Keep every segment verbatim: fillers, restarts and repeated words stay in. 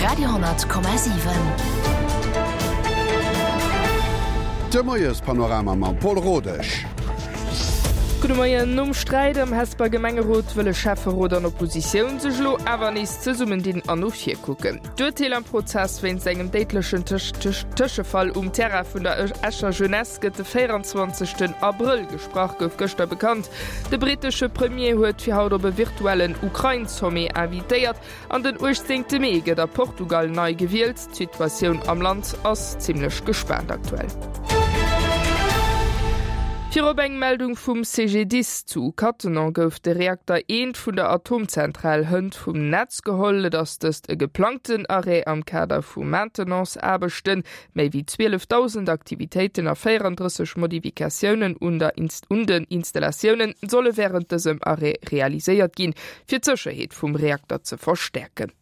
Radio honnert Komma siwen. De Moiespanorama mam Paul Rodesch. Gudde Moien. Nom Sträit am Hesper Gemengerot wëlle Schäfferot an Oppositioun sech elo awer nees zesummendinn an no vir kucken. D'Urteel am Prozess wéinst engem déidlechen Tëschefall um Terrain vun der Escher Jeunesse gëtt de véieranzwanzegsten Abrëll gesprach, gouf gëschter bekannt. De brittesche Premier huet fir haut op e virtuellen Ukrain-Sommet invitéiert an den uechtzéngte Mee gëtt a Portugal nei gewielt. D'Situatioun am Land ass zimmlech gespaant aktuell. Virop eng Meldung vum C G D I S. Zu Cattenom gouf de Reakter eent vun der Atomzentral hënt vum Netz geholl. Et ass dëst e geplangten Arrêt am Kader vu Maintenance-Aarbechten. Méi wéi zwielefdausend Aktivitéiten a véierandrësseg Modifikatiounen un der un den Installatioune solle wärend dësem Arrêt realiséiert ginn, fir d'Sécherheet vum Reakter ze verstäerken.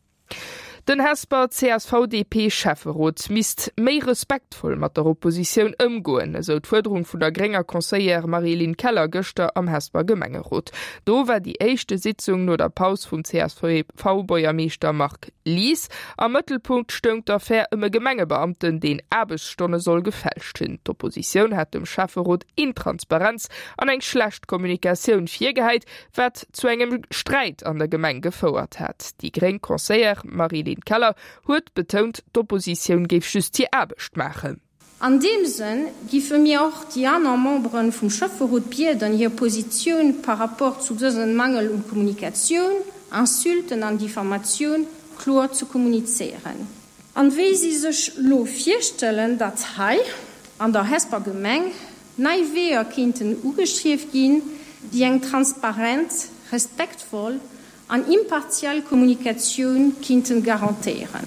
Den Hesper C S V D P-Schäfferot misst méi respektvoll mat der Oppositioun ëmgoen, esou d'Fuerderung vun der grénger Conseillère Marie-Line Keller gëschter am Hesper Gemengerot. Do war déi éischte Sitzung no der Paus vum C S V-Buergermeeschter Marc Lies. Am Mëttelpunkt stoung d'Affär ëm e Gemengebeamten, deen Aarbechtsstonne soll gefälscht hunn. D'Oppositioun hat dem Schäfferot Intransparenz an eng schlecht Kommunikatioun virgehäit, wat zu engem Sträit an der Gemeng gefouert hat. Déi gréng Conseillère Marie-Line Keller huet betount, d'Oppositioun géif just hir Aarbecht maachen. An deem Sënn géife mir och déi aner Membere vum Schäfferot bieden, hir Positioun par rapport zu dësem Mangel un Kommunikatioun, Insulten an Diffamatioun kloer ze kommunizéieren. An wéi si sech lo virstellen, datt hei an der Hesper Gemeng nei Weeër kéinten ugestrieft ginn, déi eng transparent, respektvoll an impartial Kommunikatioun kéinten garantéieren.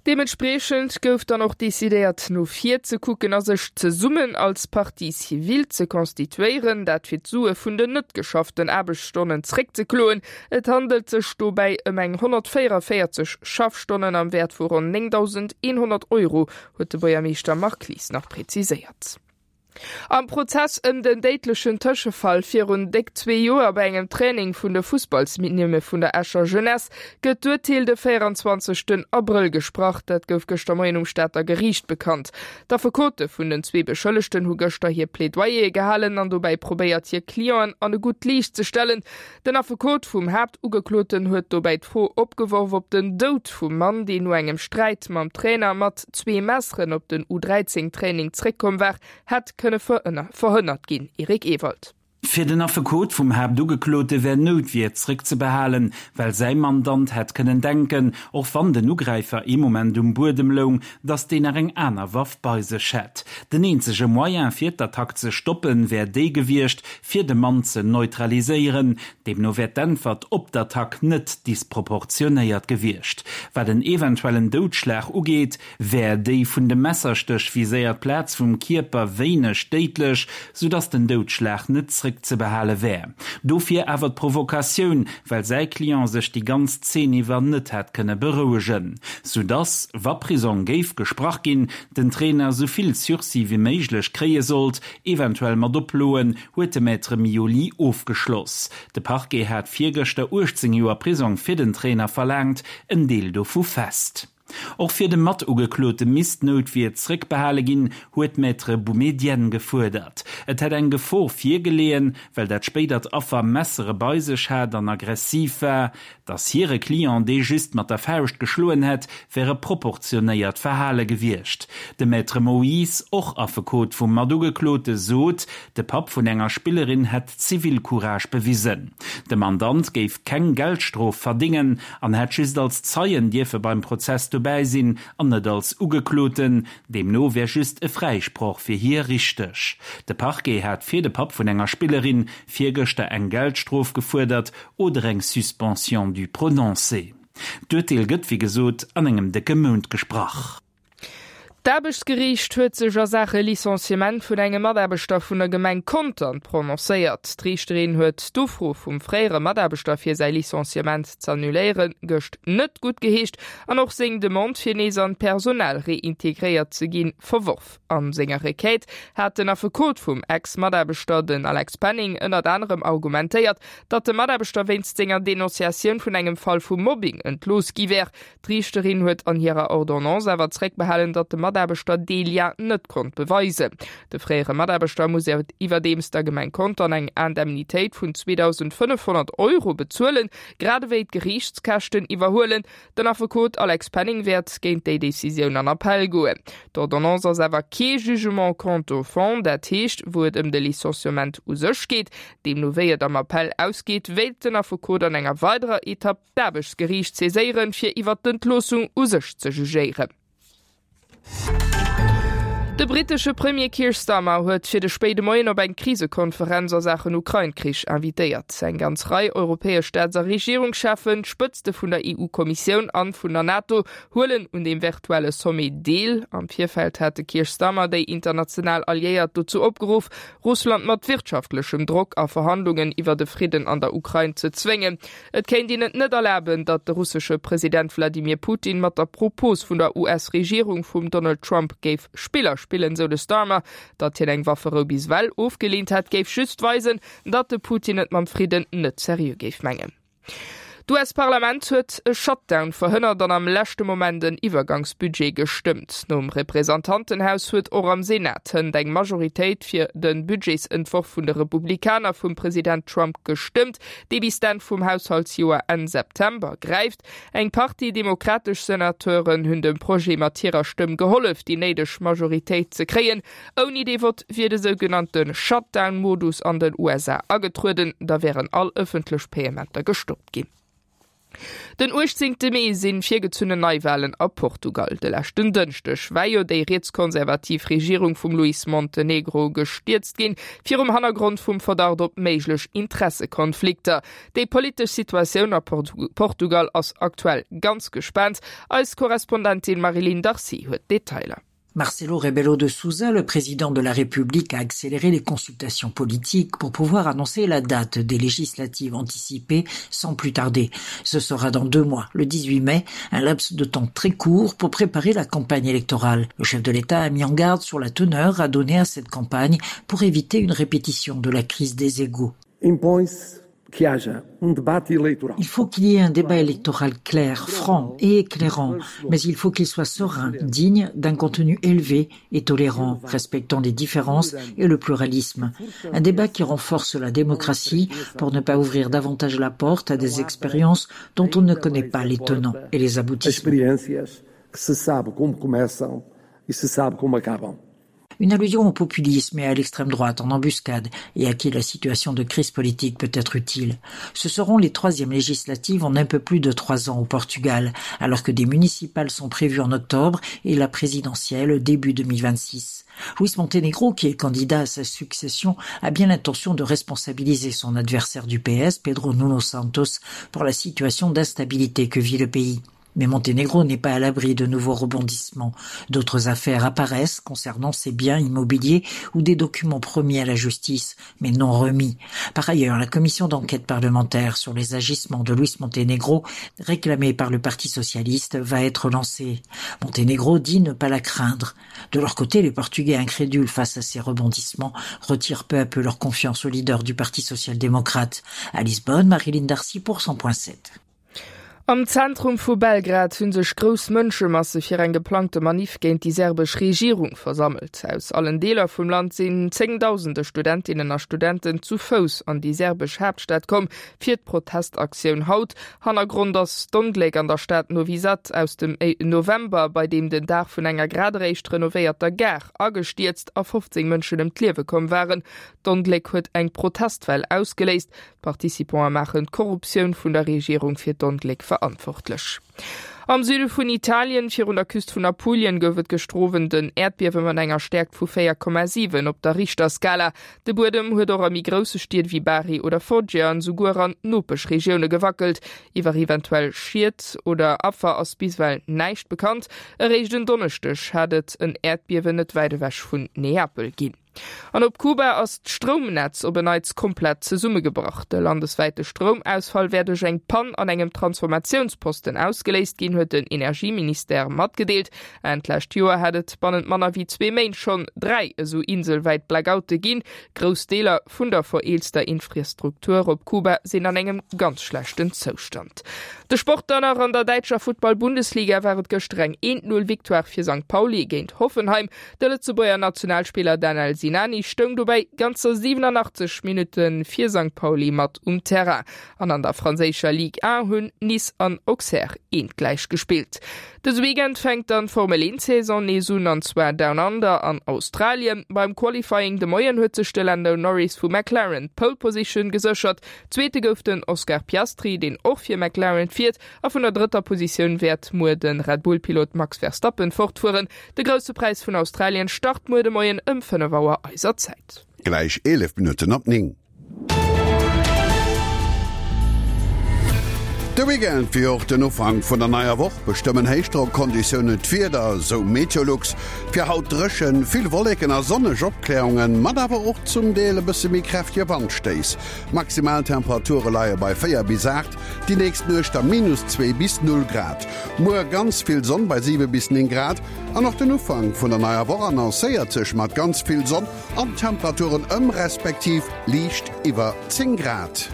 Deementspriechend gouf dann och decidéiert, no vir ze kucken a sech zesummen als Partie civile ze konstituéieren, dat fir d'Sue vun den net geschafften Aarbechtsstonnen zréckzekloen. Et handelt sech dobäi ëm eng honnertvéierunvéierzeg Schaffstonnen am Wäert vu ronn néngdausendeenhonnert Euro, huet de Buergermeeschter Marc Lies nach präziséiert. Am Prozess ëm den déidlechen Tëschefall virun déck zwee Joer bei engem Training vun de Fussballsminimme vun der Escher Jeunesse gëtt d'Urteel de véieranzwanzegsten Abrëll gesprach. Dat gouf gëschter Moien um Stater Geriicht bekannt. D'Affekote vun den zwee Beschëllegten hu gëschter hir Plädoyere gehalen an dobäi probéiert, hir Clienten an e gutt Liicht ze stellen. Den Affekot vum Haaptugekloten huet dobäi d'Fro opgeworf, ob den Doud vum Mann, deen no engem Sträit mam Trainer mat zwee Messeren op den U dräizéng Training zréckkomm war, hätt kënne verhënnert ginn. Eric Ewald. Fir den Affekot vum Haaptugeklote wär Noutwier zréckzebehalen, well säi Mandant hätt kënnen denken, och wann den Ugräifer ee Moment um Buedem loung, datt deen nach eng aner Waff bei sech hätt. Den eenzege Moyen fir d'Attack ze stoppen, wär dee gewiescht, fir de Mann ze neutraliséieren. Deemno wär d'Äntwert op d'Attack net disproportionéiert gewiescht. Wat den eventuellen Doudschlag ugeet, wär déi vun dem Messerstéch viséiert Plaz vum Kierper wéineg déidlech, soudatt den Doudschlag net zréckzebehale wär. Dofir awer d'Provokatioun, well säi Client sech déi ganz Zeen iwwer net hätt kënne berouegen. Soudatt, wa Prisong géif gesprach ginn, den Trainer sou vill Sursis wéi méiglech kréie sollt, eventuell mat Oploen, huet de Maître Mioli ofgeschloss. De Parquet hat virgëschter uechtzéng Joer Prisong fir den Trainer verlaangt, en Deel dovu fest. Och fir de Matugeklote misst d'Noutwier zréckbehale ginn, huet d'Maître Boumedienne gefuerdert. Et hätt eng Gefor virgeleeën, well dat spéidert Affer Messere bei sech hat an aggressiv war. Datt hire Client dee just mat der Fauscht geschloen hätt, wär e proportionéiert Verhale gewiescht. De Maître Moïse, och Affekot vum Matugeklote, sot, de Papp vun enger Spillerin hätt Zivilcourage bewisen. De Mandant géif keng Geldstrof verdéngen an hätt just als Zeien dierfe beim Prozess dobäi sinn an net als Ugekloten, deemno wär just e Fräisproch fir hie richteg. De Parquet hat fir de Papp vun enger Spillerin virgëschter eng Geldstrof gefuerdert oder eng Suspension du prononcé. D'Urteel gëtt wéi gesot an engem décke Mount gesprach. D'Aarbechtsgeriicht huet sech a Saache Licenciement vun engem Mataarbechter vun der Gemeng Contern prononcéiert. D'Riichterin huet d'Ufro vum fréiere Mataarbechter fir säi Licenciement z'annuléieren, gëscht net guttgeheescht an och seng Demande fir nees an d'Personal reintegréiert ze ginn, verworf. A senger Requête hat den Affekot vum Ex-Mataarbechter, den Alex Penning, ënnert anerem argumentéiert, datt de Mataarbechter wéinst senger Denonciatioun vun engem Fall vu Mobbing entlooss gi wär. D'Riichterin huet an hirer Ordonnance awer zréckbehalen, datt de Mataarbechter dee Lien net konnt beweisen. De fréiere Mataarbechter muss iwwerdeems der Gemeng Contern eng Indemnitéit vun zweedausendfënnefhonnert Euro bezuelen, grad ewéi d'Geriichtskäschten iwwerhuelen. Den Affekot Alex Penning wäert géint déi Decisioun an Appell goen. D'Ordonnance ass awer kee Jugement quant au fond, dat heescht, wou et ëm de Licenciement u sech geet. Deemno wéi et am Appell ausgeet, wéilt den Affekot an enger weiderer Etapp d'Aarbechtsgeriicht saiséieren, fir iwwert d'Entloossung u sech ze jugéieren. De brittesche Premier Keir Starmer huet fir de spéide Moien op eng Krisekonferenz a Saachen Ukrain-Krich invitéiert. Eng ganz Rei europäesch Staats a Regierungscheffen, d'Spëtzte vun der E U-Kommissioun an vun der NATO huelen un deem virtuelle Sommet deel. Am Virfeld hat de Keir Starmer déi international Alliéiert dozou opgeruff, Russland mat wirtschaftlechem Drock a Verhandlungen iwwer de Fridden an der Ukrain ze zwéngen. Et kéint een et net erlaben, datt de russesche President Wladimir Putin mat der Propos vun der U S-Regierung vum Donald Trump géif Spiller spillen, sou de Starmer. Datt hien eng Wafferou bis ewell ofgeleent hätt, géif just weisen, datt de Putin et mam Fridden net seriö géif mengen. D'U S-Parlament huet e Shutdown verhënnert an am leschte Moment en Iwwergangsbudget gestëmmt. Nom Representantenhaus huet och am Senat hënt eng Majoritéit fir de Budgetsentworf vun de Republikaner vum President Trump gestëmmt, dee bis d'Enn vum Haushaltsjoer Enn September gräift. Eng Partie demokratesch Senateuren hunn dem Projet mat hirer Stëmm gehollef, déi néideg Majoritéit ze kréien. Ouni dee Vott wier de sougenannte Shutdown-Modus an den U S A agetrueden, da wären all ëffentlech Payementer gestoppt ginn. Den uechtzéngte Mee sinn virgezunnen Neiwalen a Portugal. De leschten Dënschdeg war jo déi rietskonservativ Regierung vum Luís Montenegro gestierzt ginn, virum Hannergrond vum Verdacht op méiglech Interessekonflikter. Déi politesch Situatioun a Portugal ass aktuell ganz gespaant. Eis Korrespondentin Marie-Line Darcy huet Detailer. Marcelo Rebelo de Sousa, le président de la République, a accéléré les consultations politiques pour pouvoir annoncer la date des législatives anticipées sans plus tarder. Ce sera dans deux mois, le dix-huit mai, un laps de temps très court pour préparer la campagne électorale. Le chef de l'État a mis en garde sur la teneur à donner à cette campagne pour éviter une répétition de la crise des égouts. Impõe-se que haja um debate eleitoral. Il faut qu'il y ait un débat électoral clair, franc et éclairant, mais il faut qu'il soit serein, digne d'un contenu élevé et tolérant, respectant les différences et le pluralisme. Un débat qui renforce la démocratie pour ne pas ouvrir davantage la porte à des expériences dont on ne connaît pas les tenants et les aboutissants. Experiências que se sabe como começam e se sabe como acabam. Une allusion au populisme et à l'extrême droite en embuscade et à qui la situation de crise politique peut être utile. Ce seront les troisièmes législatives en un peu plus de trois ans au Portugal, alors que des municipales sont prévues en octobre et la présidentielle début deux mille vingt-six. Luis Montenegro, qui est candidat à sa succession, a bien l'intention de responsabiliser son adversaire du P S, Pedro Nuno Santos, pour la situation d'instabilité que vit le pays. Mais Montenegro n'est pas à l'abri de nouveaux rebondissements. D'autres affaires apparaissent concernant ses biens immobiliers ou des documents promis à la justice, mais non remis. Par ailleurs, la commission d'enquête parlementaire sur les agissements de Luis Montenegro, réclamée par le Parti socialiste, va être lancée. Montenegro dit ne pas la craindre. De leur côté, les Portugais incrédules face à ces rebondissements retirent peu à peu leur confiance au leader du Parti social-démocrate. À Lisbonne, Marilyn Darcy pour cent point sept. Am Zentrum vu Belgrad hunn sech grouss Mënschemasse fir eng geplangte Manif géint déi serbesch Regierung versammelt. Aus allen Deeler vum Land sinn zéngdausende Studentinnen a Studenten zu Fouss an déi serbesch Haaptstad komm fir d'Protestaktioun haut. Hannergrond ass d'Ongléck an der Stad Novi Sad aus dem November, bei deem den Daach vun enger grad eréischt renovéierter Gare agestierzt a fofzéng Mënschen ëm d'Liewe komm waren. D'Ongléck huet eng Protestwell ausgeléist. D'Participante maachen d'Korruptioun vun der Regierung fir d'Ongléck verantwortlech. Am Süde vun Italien, virun der Küst vun Apulien, gouf et gëschter Owend en Äerdbiewe mat enger Stäerkt vu véier Komma siwen op der Richterskala. De Buedem huet och a méi grousse Stied wéi Bari oder Foggia an esouguer an Nopeschregioune gewackelt. Iwwer eventuell Schied oder Affer ass bis ewell näischt bekannt. Eréischt en Donneschdeg hat et en Äerdbiewen net wäit ewech vun Neapel ginn. An op Kuba ass d'Stroumnetz op en Neits komplett zesummegebrach. De landeswäite Stroumausfall wär duerch eng Pann an engem Transformatiounsposten ausgeléist ginn, huet den Energieministère matgedeelt. Enn d'lescht Joer hat et bannent manner wéi zwee Méint schonn dräi esou inselwäit Blackoute ginn. Grouss Deeler vun der vereelzter Infrastruktur op Kuba sinn an engem ganz schlechten Zoustand. De Sport dann nach, An der däitscher Futtball-Bundesliga war et gëschter eng Eent-Null-Victoire fir Sankt Pauli géint Hoffenheim. De Lëtzebuerger Nationalspiller Danel Sinani stoung dobäi ganzer siwenanachtzeg Minutte fir Sankt Pauli mat um Terrain. An an der franséischer Ligue un hunn Nice an Auxerre eent gläich gespillt. Dëse Weekend fänkt dann d'Formel eent Saison nees un, an zwar Down Under an Australien. Beim Qualifying de Moien huet sech de Lando Norris vu McLaren d'Pole Position geséchert. Zweete gouf den Oscar Piastri, deen och fir McLaren fiert, a vun der drëtter Positioun wäert muer de Red Bull Pilot Max Verstappen fortfueren. De Grousse Präis vun Australien start muer de Moien ëm fënnef Auer eiser Zäit. Gläich eelef Minutten op néng. De Weekend wéi och den Ufank vun der neier Woch bestëmmen Héichdrock-Konditiounen d'Wieder, sou Meteolux. Fir haut dréchen, vill Wolleken a sonneg Opkläerungen, mat awer och zum Deel e bësse méi kräftege Wandstéiss. D'Maximaltemperature leie bei véier bis aacht, déi nächst Nuecht da minus zwee bis null Grad. Muer ganz vill Sonn bei siwe bis néng Grad an och den Ufank vun der neier Woch annoncéiert sech mat ganz vill Sonn an Temperaturen ëm respektiv liicht iwwer zéng Grad.